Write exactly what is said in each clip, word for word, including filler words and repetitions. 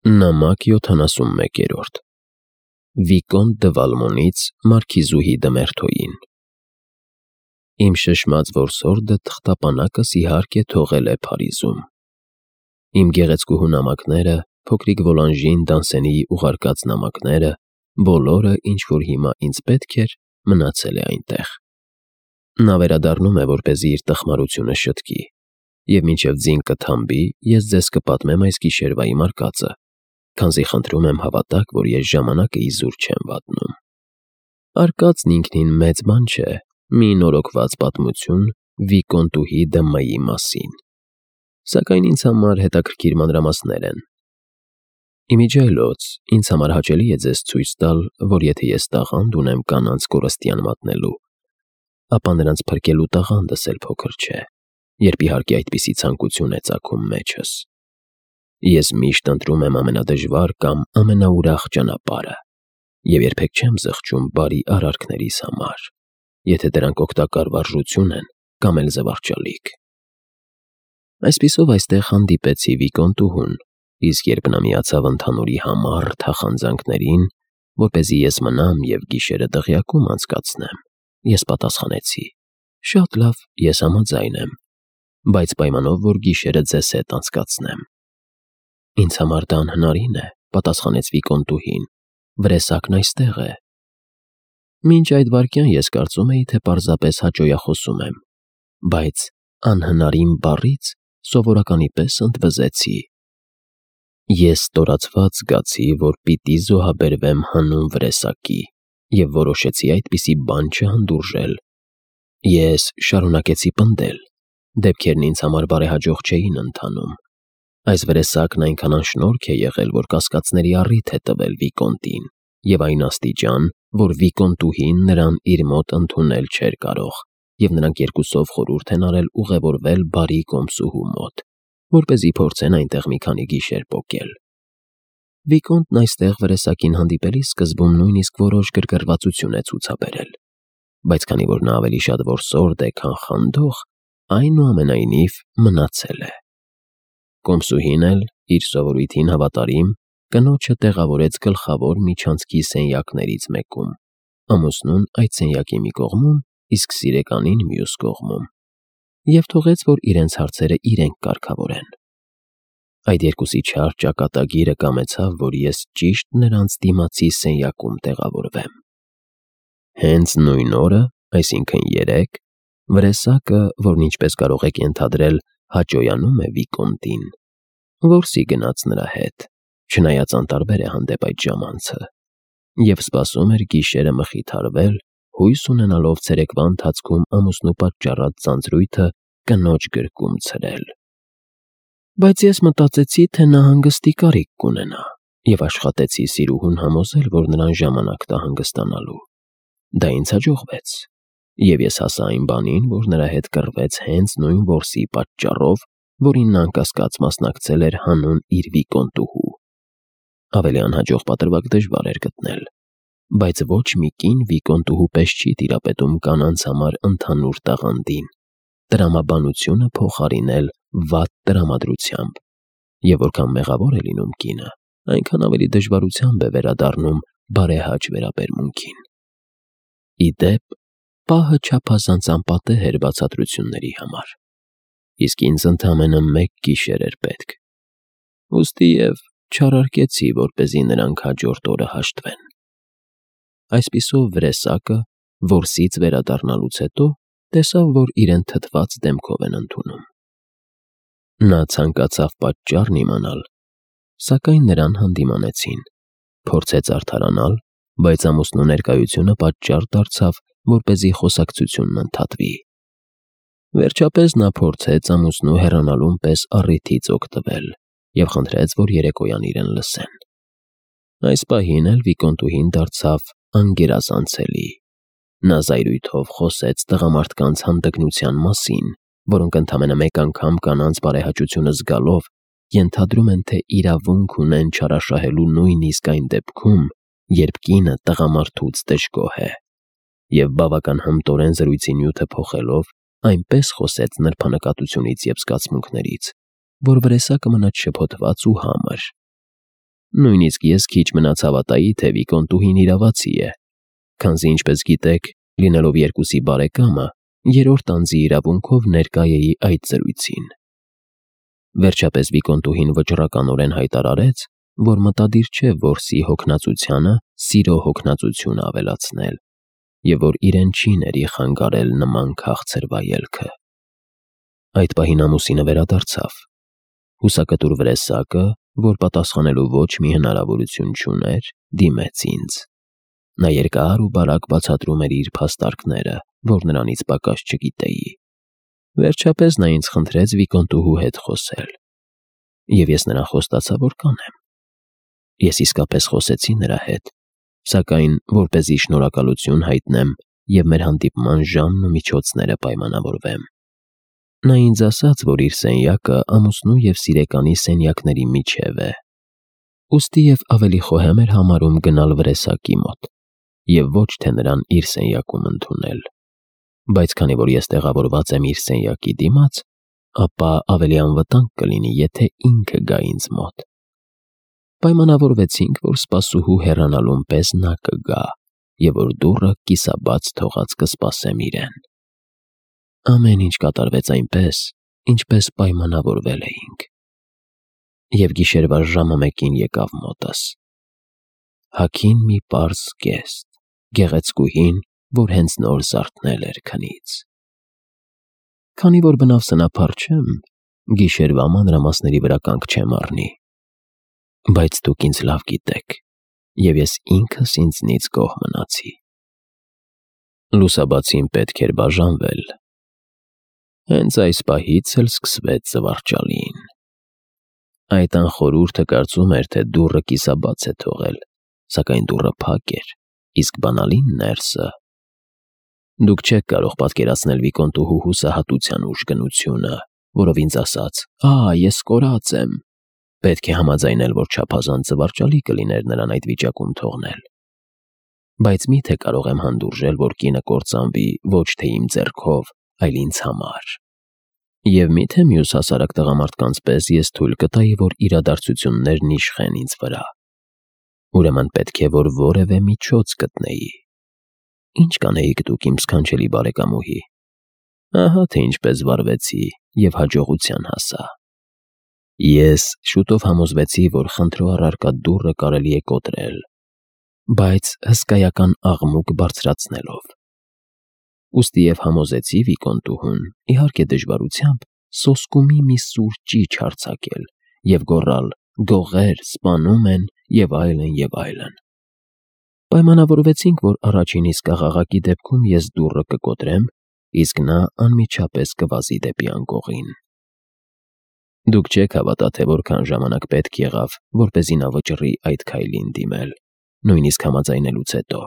Նամակ յոթանասունմեկերորդ Վիկոնտ դը Վալմոնից մարքիզուհի Դմերթոյին Իմ շշմած որսորդը թղթապանակս իհարկե թողել է Փարիզում։ Իմ գեղեցկուհու նամակները, փոքրիկ Վոլանժին Դանսենիի ուղարկած նամակները, բոլորը, ինչ որ հիմա ինձ պետք էր, մնացել է այնտեղ։ Նա վերադառնում է, որպեսզի իր տխմարությունը շտկի, և մինչև ձին կթամբի, ես ձեզ կպատմեմ այս գիշերվա իմ արկածը, քանզի խնդրում եմ հավատաք, որ ես ժամանակը իզուր չեմ վատնում։ Արկածն ինքնին մեծ բան չէ, մի նորոգված պատմություն Վիկոնտուհի դը Մըի մասին, սակայն ինձ համար հետաքրքիր մանրամասներ են։ Իմիջիայլոց, ինձ համար հաճելի է ձեզ ցույց տալ, որ եթե ես տաղանդ ունեմ կանանց կորստյան մատնելու, ապա նրանց փրկելու տաղանդս էլ փոքր չէ, երբ իհարկե այդպիսի ցանկություն է ծագում մեջս։ Ես միշտ ընտրում եմ ամենադժվար կամ ամենաուրախ ճանապարհը և երբեք չեմ զղջում բարի արարքներիս համար, եթե դրանք օգտակար վարժություն են կամ էլ զվարճալիք։ Այսպիսով այստեղ հանդիպեցի Վիկոնտուհուն, իսկ երբ նա միացավ ընդհանուրի համառ թախանձանքներին, որպեսզի ես մնամ և գիշերը դղյակում անցկացնեմ, ես պատասխանեցի. «Շատ լավ, ես համաձայն եմ, բայց պայմանով, որ գիշերը ձեզ հետ անցկացնեմ»։ «Ինձ համար դա անհնարին է», պատասխանեց Վիկոնտուհին, «վրեսակն այստեղ է»։ Մինչ այդ վայրկյան ես կարծում էի, թե պարզապես հաճոյախոսում եմ, բայց «անհնարին» բառից սովորականի պես ընդվզեցի։ Ես ստորացված զգացի, որ պիտի զոհաբերվեմ հանուն վրեսակի, և որոշեցի այդպիսի բան չհանդուրժել։ Ես շարունակեցի պնդել, դեպքերն ինձ համար բարեհաջող չէին ընթանում։ Այս վրեսակն այնքան անշնորհք է եղել, որ կասկածների առիթ է տվել Վիկոնտին, և այն աստիճան, որ Վիկոնտուհին նրան իր մոտ ընդունել չէր կարող, և նրանք երկուսով խորհուրդ են արել ուղևորվել բարի կոմսուհու մոտ, որպեսզի փորձեն այնտեղ մի քանի գիշեր պոկել։ Վիկոնտն այստեղ վրեսակին հանդիպելիս սկզբում նույնիսկ որոշ գրգռվածություն է ցուցաբերել, բայց քանի որ նա ավելի շատ որսորդ է, քան խանդող, այնուամենայնիվ մնացել է։ Կոմսուհին էլ, իր սովորույթին հավատարիմ, կնոջը տեղավորեց գլխավոր միջանցքի սենյակներից մեկում, ամուսնուն այդ սենյակի մի կողմում, իսկ սիրեկանին մյուս կողմում, և թողեց, որ իրենց հարցերը իրենք կարգավորեն։ Այդ երկուսի չար ճակատագիրը կամեցավ, որ ես ճիշտ նրանց դիմացի սենյակում տեղավորվեմ։ Հենց նույն օրը, այսինքն երեկ, վրեսակը, որն ինչպես կարող եք ենթադրել, հաճոյանում է Վիկոնտին, որսի գնաց նրա հետ, չնայած անտարբեր է հանդեպ այդ ժամանցը, և սպասում էր գիշերը մխիթարվել, հույս ունենալով ցերեկվա ընթացքում ամուսնու պատճառած ձանձրույթը կնոջ գրկում ցրել։ Բայց ես մտածեցի, թե նա հանգստի կարիք կունենա, և աշխատեցի սիրուհուն համոզել, որ նրան ժամանակ տա հանգստանալու։ Դա ինձ հաջողվեց, և ես հասա այն բանին, որ նրա հետ կռվեց հենց նույն որսի պատճառով, որին նա անկասկած մասնակցել էր հանուն իր Վիկոնտուհու։ Ավելի անհաջող պատրվակ դժվար էր գտնել, բայց ոչ մի կին Վիկոնտուհու պես չի տիրապետում կանանց համար ընդհանուր տաղանդին, տրամաբանությունը փոխարինել վատ տրամադրությամբ, և որքան մեղավոր է լինում կինը, այնքան ավելի դժվարությամբ է վերադառնում բարեհաճ վերաբերմունքին։ Ի դեպ, պահը չափազանց անպատեհ էր բացատրությունների համար, իսկ ինձ ընդամենը մեկ գիշեր էր պետք, ուստի և չարարկեցի, որպեսզի նրանք հաջորդ օրը հաշտվեն։ Այսպիսով վրեսակը, որսից վերադառնալուց հետո, տեսավ, որ իրեն թթված դեմքով են ընդունում։ Նա ցանկացավ պատճառն իմանալ, սակայն նրան հանդիմանեցին, փորձեց արդարանալ, բայց ամուսնու ներկայությունը պատճառ դարձավ, որպեսզի խոսակցությունն ընդհատվի։ Վերջապես նա փորձեց ամուսնու հեռանալուն պես առիթից օգտվել և խնդրեց, որ երեկոյան իրեն լսեն։ Այս պահին էլ Վիկոնտուհին դարձավ անգերազանցելի։ Նա զայրույթով խոսեց տղամարդկանց հանդգնության մասին, որոնք ընդամենը մեկ անգամ կանանց բարեհաճությունը զգալով ենթադրում են, թե իրավունք ունեն չարաշահելու նույնիսկ այն դեպքում, երբ կինը տղամարդուց դժգոհ է, և բավական հմտորեն զրույցի նյութը փոխելով, այնպես խոսեց նրբանկատությունից և զգացմունքներից, որ վրեսակը մնաց շփոթված ու համր։ Նույնիսկ ես քիչ մնաց հավատայի, թե Վիկոնտուհին իրավացի է, քանզի ինչպես գիտեք, լինելով երկուսի բարեկամը, երրորդ անձի իրավունքով ներկա էի այդ զրույցին։ Վերջապես Վիկոնտուհին վճռականորեն հայտարարեց, որ մտադիր չէ որսի հոգնածությանը սիրո հոգնածություն ավելացնել, եւ որ իրեն չի ների խանգարել նման քաղցր վայելքը։ Այդ պահին ամուսինը վերադարձավ։ Հուսակտուր վրեսակը, որ պատասխանելու ոչ մի հնարավորություն չուներ, դիմեց ինձ։ Նա երկար ու բարակ բացատրում էր իր փաստարկները, որ նրանից պակաս չգիտեի։ Վերջապես նա ինձ խնդրեց Վիկոնտուհու հետ խոսել, եւ ես նրան խոստացա, որ կանեմ։ Ես իսկապես խոսեցի նրա հետ, սակայն որպեսզի շնորհակալություն հայտնեմ եւ մեր հանդիպման ժամն ու միջոցները պայմանավորվեմ։ Նա ինձ ասաց, որ իր սենյակը ամուսնու եւ սիրեկանի սենյակների միջև է, ուստի եւ ավելի խոհեմ էր համարում գնալ վրեսակի մոտ եւ ոչ թե նրան իր սենյակում ընդունել։ Բայց քանի որ ես տեղավորված եմ իր սենյակի դիմաց, ապա ավելի անվտանգ կլինի, եթե ինքը գա ինձ մոտ։ Պայմանավորվեցինք, որ սպասուհու հեռանալուն պես նա կգա եւ որ դուռը կիսաբաց թողած կսպասեմ իրեն։ Ամեն ինչ կատարվեց այնպես, ինչպես պայմանավորվել էինք։ Եվ գիշերվա ժամը մեկին եկավ մոտս։ Հագին մի պարզ կեստ, գեղեցկուհին, որ հենց նոր զարթնել էր քնից։ Քանի որ բնավ սնափառ չեմ, գիշերվա մանրամասների վրա կանգ չեմ առնի։ Բայց դուք ինձ լավ գիտեք, եւ ես ինքս ինձնից գոհ մնացի։ Լուսաբացին պետք էր բաժանվել։ Հենց այս պահից էլ սկսվեց զվարճալին։ Այդ անխորհուրդը կարծում էր, թե դուռը կիսաբաց է թողել, սակայն դուռը փակ էր, իսկ բանալին ներսը։ Դուք չեք կարող պատկերացնել Վիկոնտուհու հուսահատության ուժգնությունը, որով ինձ ասաց. «Ա, ես կորած եմ»։ Պետք է համաձայնել, որ չափազանց զվարճալի կլիներ նրան այդ վիճակում թողնել։ Բայց միթե կարող եմ հանդուրժել, որ կինը կործանվի ոչ թե իմ ձեռքով, այլ ինձ համար։ Եվ միթե մյուս հասարակ տղամարդկանց պես ես թույլ կտայի, որ իրադարձություններն իշխեն ինձ վրա։ Ուրեմն պետք է, որ որևէ միջոց գտնեի։ Ինչ կանեիք դուք, իմ սքանչելի բարեկամուհի։ Ահա թե ինչպես վարվեցի եւ հաջողության հասա։ Ես շուտով համոզվեցի, որ խնդրո առարկա դուռը կարելի է կոտրել, բայց հսկայական աղմուկ բարձրացնելով։ Ուստի եւ համոզեցի Վիկոնտուհուն, իհարկե դժվարությամբ, սոսկումի մի սուր ճիչ հարձակել եւ գոռալ. «Գողեր, սպանում են» եւ այլն եւ այլն։ Պայմանավորվեցինք, որ առաջին իսկ աղաղակի դեպքում ես դուռը կկոտրեմ, իսկ նա անմիջապես կվազի դեպի անկողին։ Դուք չեք հավատա, թե որքան ժամանակ պետք եղավ, որպեսզի նա վճռի այդ քայլին դիմել, նույնիսկ համաձայնելուց հետո։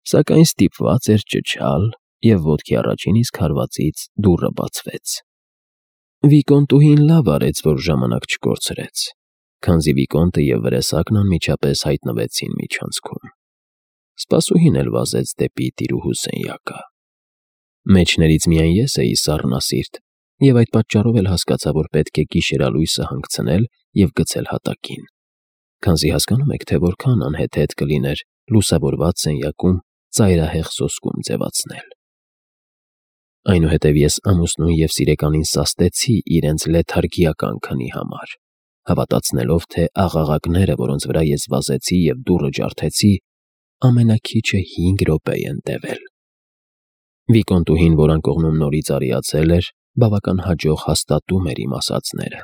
Սակայն ստիպված էր ճչալ, եւ ոտքի առաջին իսկ հարվածից դուռը բացվեց։ Վիկոնտուհին լավ արեց, որ ժամանակ չկորցրեց, քանզի Վիկոնտը եւ վրեսակն անմիջապես հայտնվեցին միջանցքում։ Սպասուհին էլ վազեց դեպի տիրուհու սենյակը։ Մեջներից միայն ես էի սառնասիրտ, եւ այդ պատճառով էլ հասկացա, որ պետք է գիշերալույսը հանգցնել եւ գցել հատակին, քանզի հասկանում եք, թե որքան անհեթեթ կլիներ լուսավորված սենյակում ծայրահեղ սոսկում ձևացնել։ Այնուհետև ես ամուսնուն եւ սիրեկանին սաստեցի իրենց լեթարգիական քնի համար, հավատացնելով, թե աղաղակները, որոնց վրա ես վազեցի եւ դուռը ջարդեցի, ամենաքիչը հինգ րոպե են տևել։ Վիկոնտուհին, որ անկողնում նորից արիացել էր, բավական հաջող հաստատում էր իմ ասածները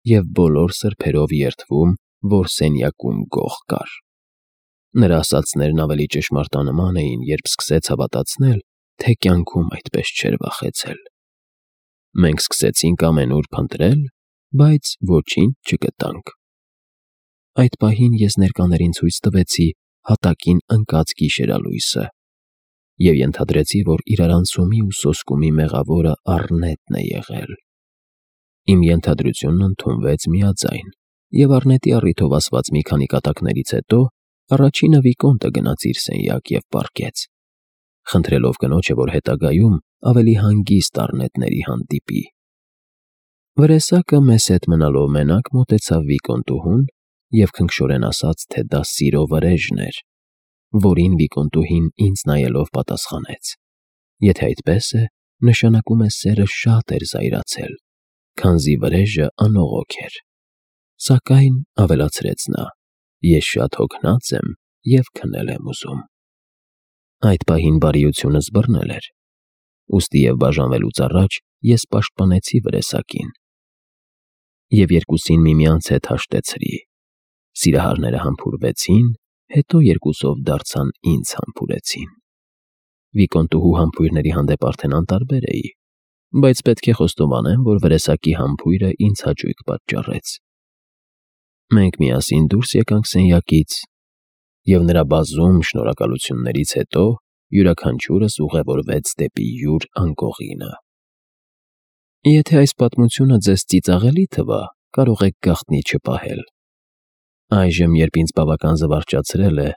եւ բոլոր սրբերով երդվում, որ սենյակում գող կար։ Նրա ասածներն ավելի ճշմարտանման էին, երբ սկսեց հավատացնել, թե կյանքում այդպես չէր վախեցել։ Մենք սկսեցինք ամենուր փնտրել, բայց ոչինչ չգտանք։ Այդ պահին ես ներկաներին ցույց տվեցի հատակին ընկած գիշերալույսը եւ ենթադրեցի, որ իրարանցումի ու սոսկումի մեղավորը Առնետն է եղել։ Իմ ենթադրությունն ընդունվեց միաձայն, եւ Առնետի առիթով ասված մի քանի կատակներից հետո առաջինը Վիկոնտը գնաց իր սենյակ եւ պառկեց, խնդրելով կնոջը, որ հետագայում ավելի հանգիստ Առնետների հանդիպի։ Վրեսակը մեզ հետ մնալով մենակ մոտեցավ Վիկոնտուհուն և քնքշորեն ասաց, թե դա սիրո վրեժն էր, որին Վիկոնտուհին ինձ նայելով պատասխանեց. «Եթե այդպես է, նշանակում է սերը շատ էր զայրացել, քանզի վրեժը անողոք էր։ Սակայն, — ավելացրեց նա, — ես շատ հոգնած եմ և քնել եմ ուզում»։ Այդ պահին բարիությունս բռնել էր, ուստի և բաժանվելուց առաջ ես պաշտպանեցի վրեսակին և երկուսին միմյանց հետ հաշտեցրի։ Սիրահարները համբուրվեցին, հետո երկուսով դարձան ինձ համբուրեցին։ Վիկոնտուհու համբույրների հանդեպ արդեն անտարբեր էի, բայց պետք է խոստովանեմ, որ վրեսակի համբույրը ինձ հաճույք պատճառեց։ Մենք միասին դուրս եկանք սենյակից, և նրա բազում շնորհակալություններից հետո յուրաքանչյուրս ուղևորվեց դեպի յուր անկողինը։ Եթե այս պատմությունը ձեզ ծիծաղելի թվա, կարող եք գաղտնի չպահել։ Այժմ, երբ ինձ բավական զվարճացրել է,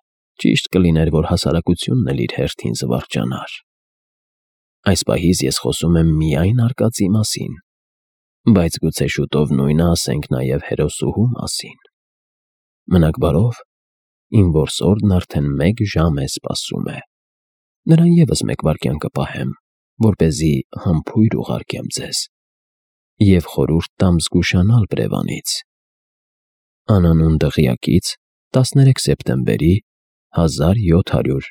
ճիշտ կլիներ, որ հասարակությունն էլ իր հերթին զվարճանար։ Այս պահից ես խոսում եմ միայն արկածի մասին, բայց գուցե շուտով նույնը ասենք նաև հերոսուհու մասին։ Մնաք բարով, իմ որսորդն արդեն մեկ ժամ է սպասում է։ Նրան ևս մեկ վայրկյան կպահեմ, որպեսզի համբույր ուղարկեմ ձեզ և խորհուրդ տամ զգուշանալ բռևանից։ Անանուն դղյակից տասներեք սեպտեմբերի հազար յոթ հարյուր